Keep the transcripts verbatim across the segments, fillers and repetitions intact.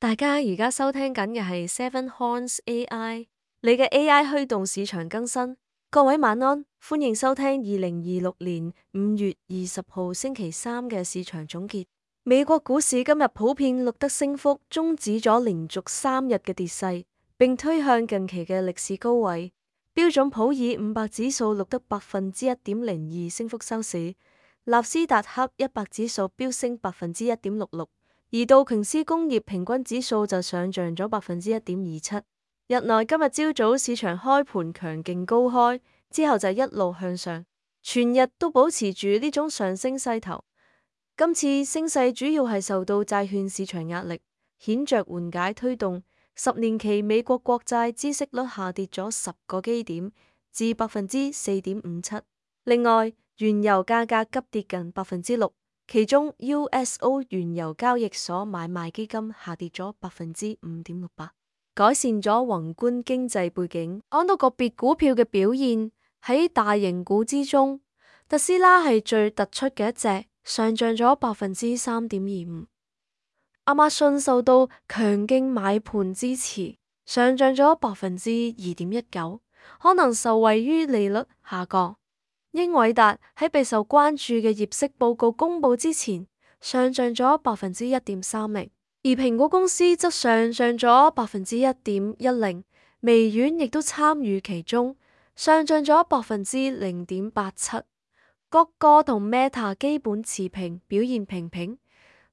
大家而家收聽緊嘅係 Seven Horns A I，你嘅 A I 驅動市場更新。各位晚安，歡迎收聽二零二六年五月二十號星期三嘅市場總結。美國股市今日普遍錄得升幅，終止咗連續三日嘅跌勢，並推向近期嘅歷史高位。標準普爾五百指數錄得百分之一點零二升幅收市，納斯達克一百指數飆升百分之一點六六。而道瓊斯工業平均指數就上漲咗百分之一點二七。日內今日朝早市場開盤強勁高開，之後就一路向上，全日都保持住呢種上升勢頭。今次升勢主要係受到債券市場壓力顯著緩解推動，十年期美國國債孳息率下跌咗十個基點至百分之四點五七。另外，原油價格急跌近百分之六。其中 U S O 原油交易所買賣基金下跌咗百分之五點六八，改善咗宏觀經濟背景。講到個別股票嘅表現，喺大型股之中，特斯拉係最突出嘅一隻，上漲咗百分之三點二五。亞馬遜受到強勁買盤支持，上漲咗百分之二點一九，可能受惠於利率下降。英偉達喺備受關注嘅業績報告公布之前，上漲咗百分之一點三零，而蘋果公司則上漲咗百分之一點一零，微軟亦都參與其中，上漲咗百分之零點八七。谷歌同 Meta 基本持平，表現平平。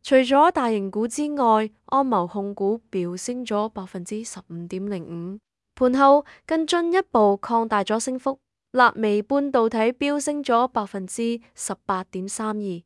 除咗大型股之外，安謀控股飆升咗百分之十五點零五，盤後更進一步擴大咗升幅。納微半導體飆升咗百分之十八點三二，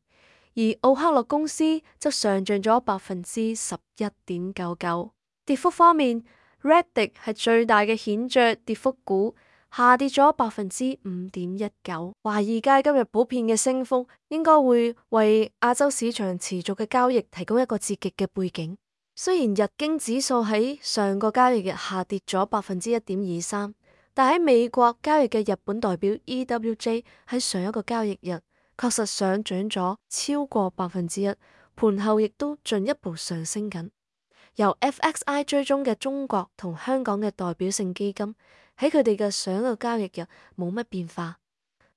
而奧克洛公司則上漲咗百分之十一點九九。跌幅方面 ，Reddit 係最大嘅顯著跌幅股，下跌咗百分之五點一九。華爾街今日普遍嘅升幅，應該會為亞洲市場持續嘅交易提供一個刺激嘅背景。雖然日經指數喺上個交易日下跌咗百分之一點二三。但喺美國交易嘅日本代表 E W J 喺上一個交易日確實上漲咗超過百分之一，盤後亦都進一步上升緊。由 F X I 追蹤嘅中國同香港嘅代表性基金喺佢哋嘅上一個交易日冇乜變化。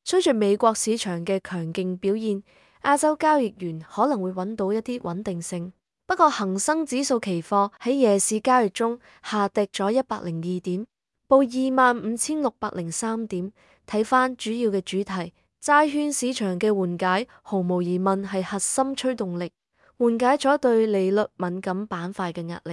隨住美國市場嘅強勁表現，亞洲交易員可能會揾到一啲穩定性。不過恒生指數期貨喺夜市交易中下跌咗一百零二點。報二萬五千六百零三點。睇返主要嘅主題，債券市場嘅緩解毫無疑問係核心驅動力，緩解咗對利率敏感板塊嘅壓力。